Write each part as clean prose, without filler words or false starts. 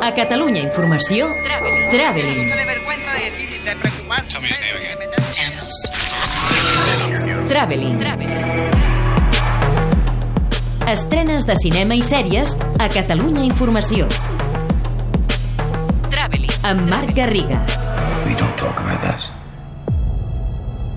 A Catalunya Informació, Traveling. Traveling. Estrenes de cinema i sèries a Catalunya Informació. Traveling. Amb Marc Garriga. We don't talk about this.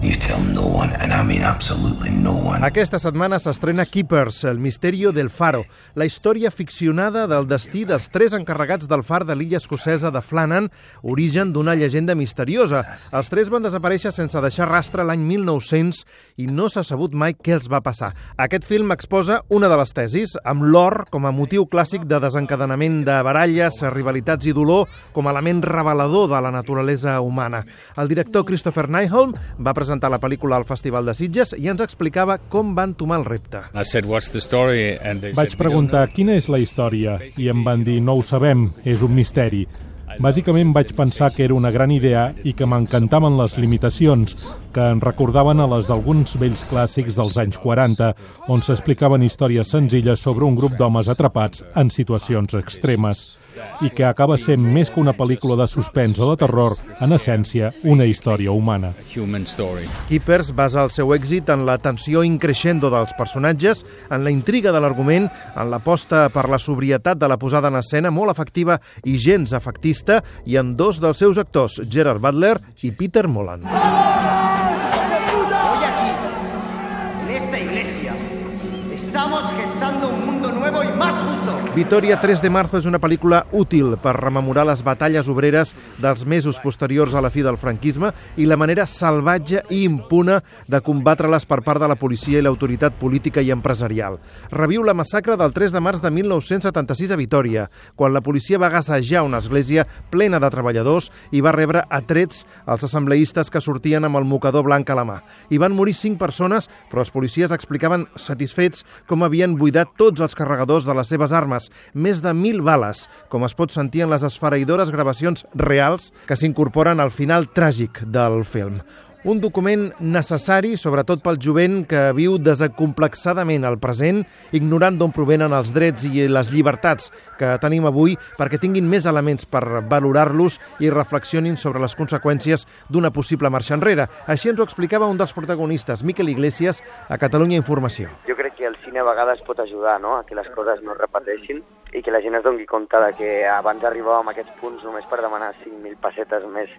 You tell no one, and I mean absolutely no one. Aquesta setmana s'estrena Keepers, el misterio del faro, la història ficcionada del destí dels 3 encarregats del far de l'illa escocesa de Flannan, origen d'una llegenda misteriosa. Els 3 van desaparèixer sense deixar rastre l'any 1900 i no s'ha sabut mai què els va passar. Aquest film exposa una de les tesis, amb l'or com a motiu clàssic de desencadenament de baralles, rivalitats i dolor com a element revelador de la naturalesa humana. El director Christopher Nyholm va presentar la pel·lícula al Festival de Sitges i ens explicava com va entomar el repte. Vaig preguntar quina és la història i em van dir no ho sabem, és un misteri. Bàsicament vaig pensar que era una gran idea i que m'encantaven les limitacions, que en recordaven a les d'alguns vells clàssics dels anys 40, on s'explicaven històries senzilles sobre un grup d'homes atrapats en situacions extremes, i que acaba sent més que una pel·lícula de suspens o de terror, en essència, una història humana. Keepers basa el seu èxit en la tensió increixendo dels personatges, en la intriga de l'argument, en l'aposta per la sobrietat de la posada en escena, molt efectiva i gens efectista, i en 2 dels seus actors, Gerard Butler i Peter Mullan. Hoy aquí, en esta iglesia, estamos gestando un mundo nuevo y más justo. Vitoria 3 de marzo és una pel·lícula útil per rememorar les batalles obreres dels mesos posteriors a la fi del franquisme i la manera salvatge i impune de combatre-les per part de la policia i l'autoritat política i empresarial. Reviu la massacre del 3 de març de 1976 a Vitòria, quan la policia va gassejar una església plena de treballadors i va rebre a trets els assembleistes que sortien amb el mocador blanc a la mà. Hi van morir 5 persones, però els policies explicaven satisfets com havien buidat tots els carregadors de les seves armes, més de 1.000 bales, com es pot sentir en les esfereïdores gravacions reals que s'incorporen al final tràgic del film. Un document necessari, sobretot pel jovent que viu desacomplexadament el present, ignorant d'on provenen els drets i les llibertats que tenim avui, perquè tinguin més elements per valorar-los i reflexionin sobre les conseqüències d'una possible marxa enrere. Així ens ho explicava un dels protagonistes, Miquel Iglesias, a Catalunya Informació. Jo crec que el cine a vegades pot ajudar, no?, a que les coses no es repeteixin i que la gent es doni compte de que abans arribàvem a aquests punts només per demanar 5.000 pessetes més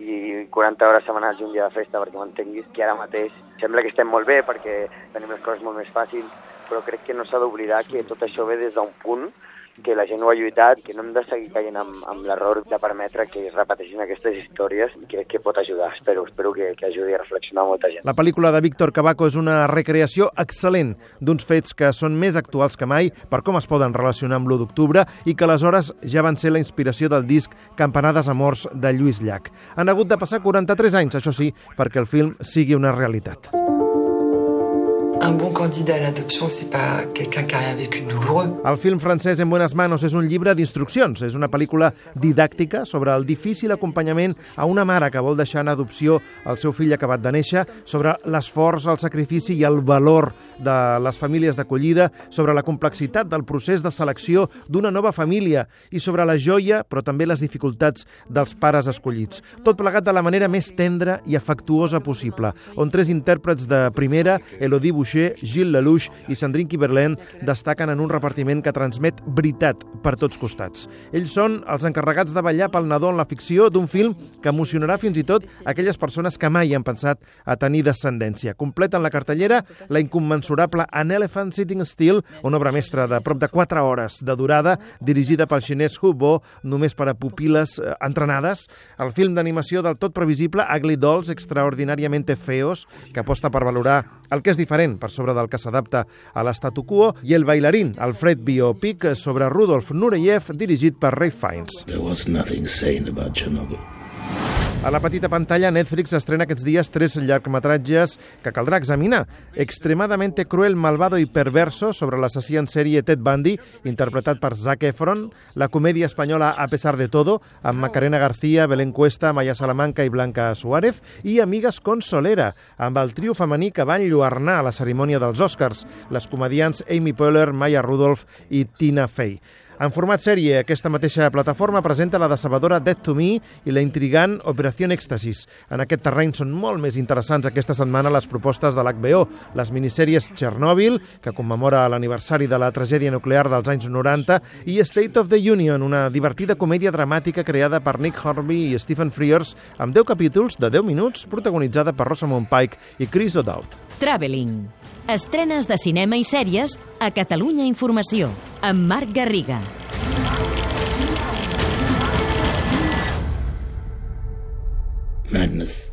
i 40 hores setmanals i un dia de festa, perquè m'entenguis que ara mateix sembla que estem molt bé perquè tenim les coses molt més fàcils, però crec que no s'ha d'oblidar que tot això ve des d'un punt que la gent ho ha lluitat, que no hem de seguir caient amb l'error de permetre que es repeteixin aquestes històries i crec que pot ajudar, espero que ajudi a reflexionar molta gent. La pel·lícula de Víctor Cavaco és una recreació excel·lent d'uns fets que són més actuals que mai per com es poden relacionar amb l'1 d'octubre i que aleshores ja van ser la inspiració del disc Campanades a morts de Lluís Llach. Han hagut de passar 43 anys, això sí, perquè el film sigui una realitat. Un bon candidat a l'adoption, c'est pas quelqu'un qui a rien vécu de douloureux. El film francès En buenas manos és un llibre d'instruccions. És una pel·lícula didàctica sobre el difícil acompanyament a una mare que vol deixar en adopció el seu fill acabat de néixer, sobre l'esforç, el sacrifici i el valor de les famílies d'acollida, sobre la complexitat del procés de selecció d'una nova família i sobre la joia, però també les dificultats dels pares escollits. Tot plegat de la manera més tendra i afectuosa possible, on 3 intèrprets de primera, Elodie Boucher, Gilles Lelouch i Sandrine Kiberlin, destaquen en un repartiment que transmet veritat per tots costats. Ells són els encarregats de vetllar pel nadó en la ficció d'un film que emocionarà fins i tot aquelles persones que mai han pensat a tenir descendència. Completen la cartellera la incommensurable An Elephant Sitting Still, una obra mestra de prop de 4 hores de durada, dirigida pel xinès Hu Bo, només per a pupil·les entrenades. El film d'animació del tot previsible Ugly Dolls, extraordinàriamente feos, que aposta per valorar el que és diferent per sobre del que s'adapta a l'estatu quo, i El bailarín, el Fred biopic sobre Rudolf Nureyev, dirigit per Ralph Fiennes. There was nothing sane about Chernobyl. A la petita pantalla, Netflix estrena aquests dies 3 llargmetratges que caldrà examinar. Extremadamente cruel, malvado y perverso, sobre l'assassí en sèrie Ted Bundy, interpretat per Zac Efron. La comèdia espanyola A pesar de todo, amb Macarena García, Belén Cuesta, Maya Salamanca i Blanca Suárez. I Amigues con Solera, amb el trio femení que va enlluernar a la cerimònia dels Oscars, les comediants Amy Poehler, Maya Rudolph i Tina Fey. En format sèrie, aquesta mateixa plataforma presenta la decebedora Dead to Me i la intrigant Operació Èxtasis. En aquest terreny són molt més interessants aquesta setmana les propostes de l'HBO, les minissèries Chernobyl, que commemora l'aniversari de la tragèdia nuclear dels anys 90, i State of the Union, una divertida comèdia dramàtica creada per Nick Hornby i Stephen Frears, amb 10 capítols de 10 minuts, protagonitzada per Rosamund Pike i Chris O'Dowd. Traveling. Estrenes de cinema i sèries a Catalunya Informació, amb Marc Garriga. Madness.